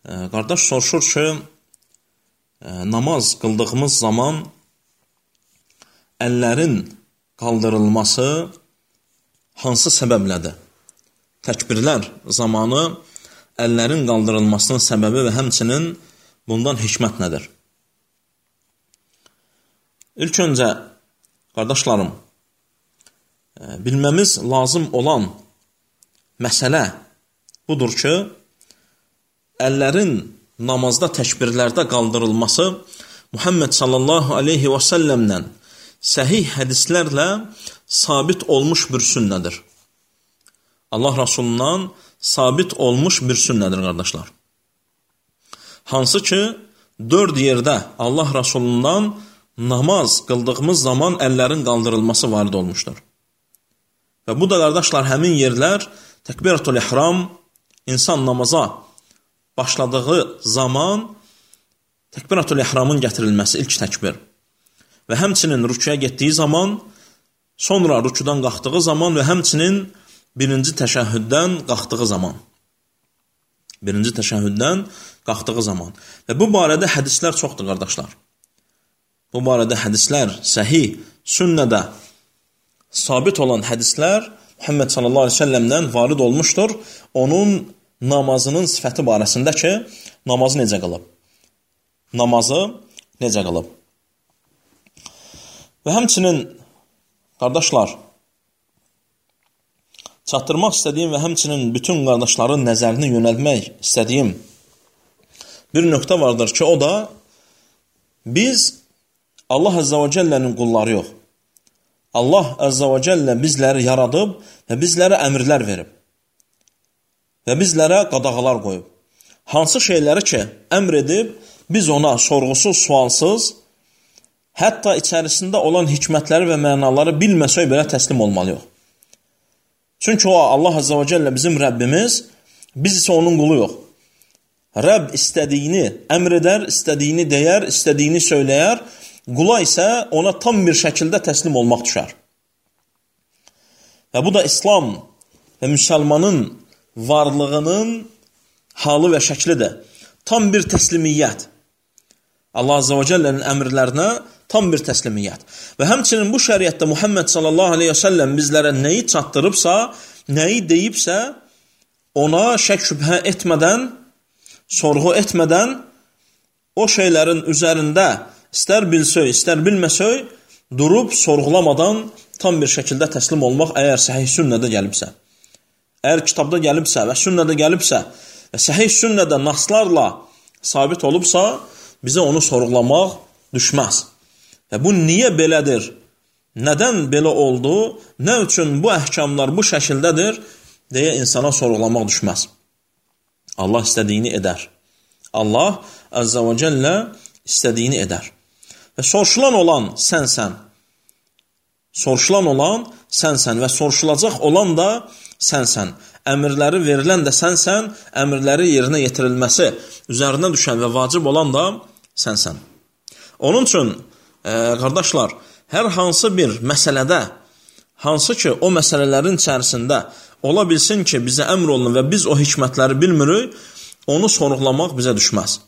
Qardaş soruşur ki, namaz qıldığımız zaman əllərin qaldırılması hansı səbəblədir? Təkbirlər zamanı əllərin qaldırılmasının səbəbi və həmçinin bundan hikmət nədir? İlk öncə, qardaşlarım, bilməmiz lazım olan məsələ budur ki, əllərin namazda təkbirlərdə qaldırılması Muhammed sallallahu aleyhi və səlləmdən səhih hədislərlə sabit olmuş bir sünnədir. Allah Rasulundan sabit olmuş bir sünnədir, qardaşlar. Hansı ki, 4 yerdə Allah Rasulundan namaz qıldığımız zaman əllərin qaldırılması varid olmuşdur. Və bu da, qardaşlar, həmin yerlər təkbiratul ihram, insan namaza başladığı zaman təkbiratul ihramın gətirilməsi, ilk təkbir. Və həmçinin rüküyə getdiyi zaman, sonra rüküdən qalxdığı zaman və həmçinin birinci təşəhhüddən qalxdığı zaman. Birinci təşəhhüddən qalxdığı zaman. Və bu barədə hədislər çoxdur, qardaşlar. Bu barədə hədislər səhih, sünnədə sabit olan hədislər Muhammed sallallahu aleyhi ve sellemdən varid olmuşdur. Onun namazının sifəti barəsində ki, namazı necə qılıb? Namazı necə qılıb? Və həmçinin, qardaşlar, çatdırmaq istədiyim və həmçinin bütün qardaşların nəzərini yönəltmək istədiyim bir nöqtə vardır ki, o da biz Allah Əzzə və Cəllənin qulları yox. Allah Əzzə və Cəllə bizləri yaradıb və bizlərə əmrlər verib və bizlərə qadağalar qoyub. Hansı şeyləri ki, əmr edib, biz ona sorğusuz, sualsız, hətta içərisində olan hikmətləri və mənaları bilməsək belə təslim olmalıyıq. Çünki o, Allah Əzzə və Cəllə bizim Rəbbimiz, biz isə onun qulu yox. Rəbb istədiyini əmr edər, istədiyini deyər, istədiyini söyləyər, qula isə ona tam bir şəkildə təslim olmaq düşər. Və bu da İslam və müsəlmanın varlığının halı və şəklidir. Tam bir təslimiyyət. Allah Azze və Cəllənin əmrlərinə tam bir təslimiyyət. Və həmçinin bu şəriətdə Muhammed sallallahu aleyhi və səlləm bizlərə nəyi çatdırıbsa, nəyi deyibsə, ona şək şübhə etmədən, sorğu etmədən, o şeylərin üzərində istər bilsək, istər bilməsək, durub sorğulamadan tam bir şəkildə təslim olmaq əgər səhih sünnədə gəlibsə. Əgər kitabda gəlibsə və sünnədə gəlibsə və səhih sünnədə naslarla sabit olubsa, bizə onu sorğulamaq düşməz. Və bu niyə belədir? Nədən belə oldu? Nə üçün bu əhkamlar bu şəkildədir? Deyə insana sorğulamaq düşməz. Allah istədiyini edər. Allah Əzzə və Cəllə istədiyini edər. Və soruşulan olan sənsən. Soruşulan olan sənsən və soruşulacaq olan da sənsən. Əmrləri verilən də sənsən, əmrləri yerinə yetirilməsi üzərinə düşən və vacib olan da sənsən. Onun üçün, qardaşlar, hər hansı bir məsələdə, hansı ki o məsələlərin içərisində ola bilsin ki, bizə əmr olunur və biz o hikmətləri bilmirik, onu sorğulamaq bizə düşməz.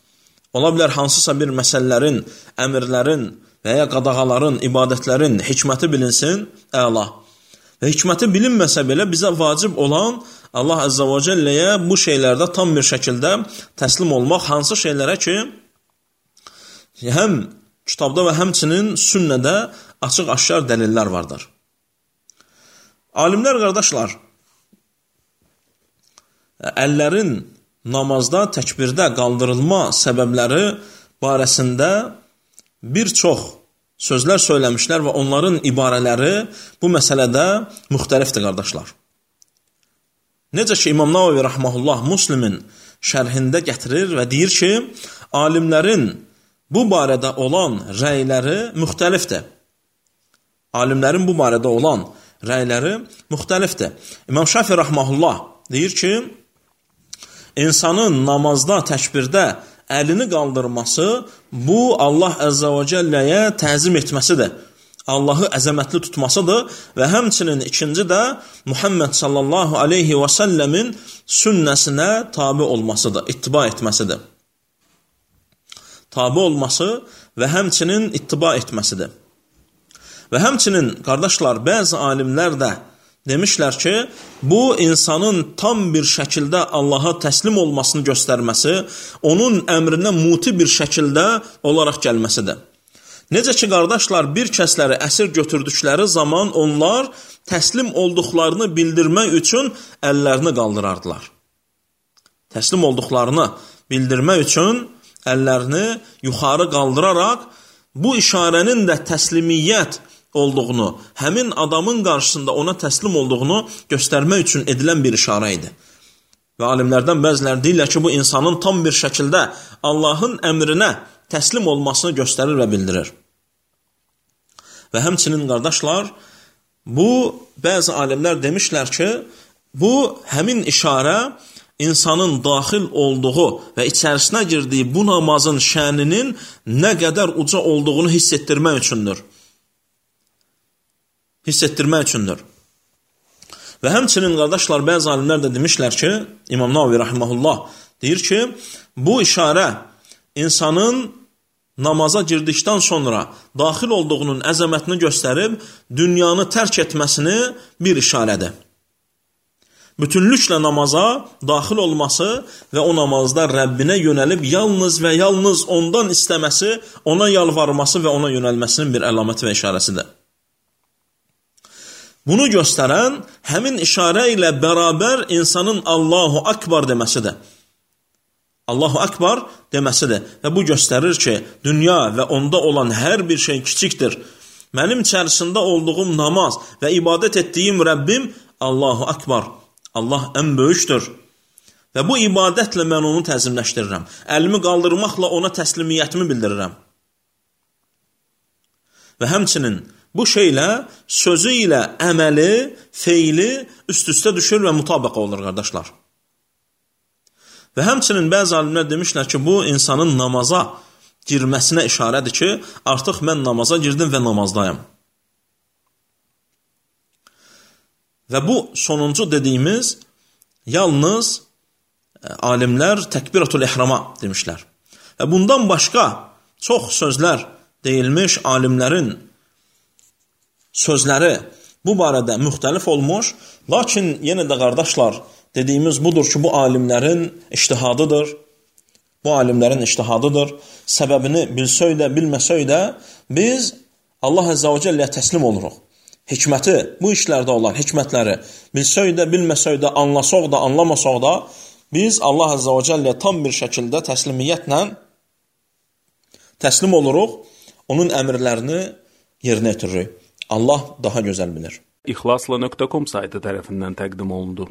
Ola bilər hansısa bir məsələlərin, əmrlərin və ya qadağaların, ibadətlərin hikməti bilinsin, əla. Və hikməti bilinməsə belə bizə vacib olan Allah Əzzə və Cəlləyə bu şeylərdə tam bir şəkildə təslim olmaq, hansı şeylərə ki, həm kitabda və həmçinin sünnədə açıq-aşkar dəlillər vardır. Alimlər, qardaşlar, əllərin namazda, təkbirdə qaldırılma səbəbləri barəsində bir çox sözlər söyləmişlər və onların ibarələri bu məsələdə müxtəlifdir, qardaşlar. Necə ki, İmam Navavi Rəhməhullah Müslimin şərhində gətirir və deyir ki, alimlərin bu barədə olan rəyləri müxtəlifdir. Alimlərin bu barədə olan rəyləri müxtəlifdir. İmam Şafi Rəhməhullah deyir ki, insanın namazda, təkbirdə əlini qaldırması, bu Allah Əzzə və Cəlləyə təzim etməsidir. Allahı əzəmətli tutmasıdır və həmçinin ikinci də Muhammed sallallahu aleyhi və səlləmin sünnəsinə tabi olmasıdır, ittiba etməsidir. Tabi olması və həmçinin ittiba etməsidir. Və həmçinin, qardaşlar, bəzi alimlər də demişlər ki, bu insanın tam bir şəkildə Allaha təslim olmasını göstərməsi, onun əmrinə muti bir şəkildə olaraq gəlməsidir. Necə ki, qardaşlar, bir kəsləri əsir götürdükləri zaman onlar təslim olduqlarını bildirmək üçün əllərini qaldırardılar. Təslim olduqlarını bildirmək üçün əllərini yuxarı qaldıraraq bu işarənin də təslimiyyət olduğunu, həmin adamın qarşısında ona təslim olduğunu göstərmək üçün edilən bir işarə idi. Və alimlərdən bəziləri deyirlər ki, bu insanın tam bir şəkildə Allahın əmrinə təslim olmasını göstərir və bildirir. Və həmçinin, qardaşlar, bu bəzi alimlər demişlər ki, bu həmin işarə insanın daxil olduğu və içərisinə girdiyi bu namazın şəninin nə qədər uca olduğunu hiss etdirmək üçündür. Və həmçinin, qardaşlar, bəzi alimlər də demişlər ki, İmam Navavi rahimehullah deyir ki, bu işarə insanın namaza girdikdən sonra daxil olduğunun əzəmətini göstərib, dünyanı tərk etməsini bir işarədir. Bütünlüklə namaza daxil olması və o namazda Rəbbinə yönəlib yalnız və yalnız ondan istəməsi, ona yalvarması və ona yönəlməsinin bir əlaməti və işarəsidir. Bunu göstərən həmin işarə ilə bərabər insanın Allahu Akbar deməsidir. Allahu Akbar deməsidir. Və bu göstərir ki, dünya və onda olan hər bir şey kiçikdir. Mənim içərisində olduğum namaz və ibadət etdiyim Rəbbim Allahu Akbar. Allah ən böyükdür. Və bu ibadətlə mən onu təzimləşdirirəm. Əlimi qaldırmaqla ona təslimiyyətimi bildirirəm. Və həmçinin bu şeylə, sözü ilə əməli, feili üst-üstə düşür və mütabiq olur, qardaşlar. Və həmçinin bəzi alimlər demişlər ki, bu insanın namaza girməsinə işarədir ki, artıq mən namaza girdim və namazdayım. Və bu sonuncu dediyimiz yalnız alimlər təkbiratul ihrama demişlər. Və bundan başqa çox sözlər deyilmiş, alimlərin sözləri bu barədə müxtəlif olmuş, lakin yenə də qardaşlar, dediyimiz budur ki, bu alimlərin ictihadıdır. Səbəbini bilsək də, bilməsək də, biz Allah Əzzə və Cəlləyə təslim oluruq. Hikməti, bu işlərdə olan hikmətləri bilsək də, bilməsək də, anlasaq da, anlamasaq da, biz Allah Əzzə və Cəlləyə tam bir şəkildə təslimiyyətlə təslim oluruq, onun əmrlərini yerinə yetiririk. Allah daha gözəl bilir. İxlasla.com saytı tərəfindən təqdim olundu.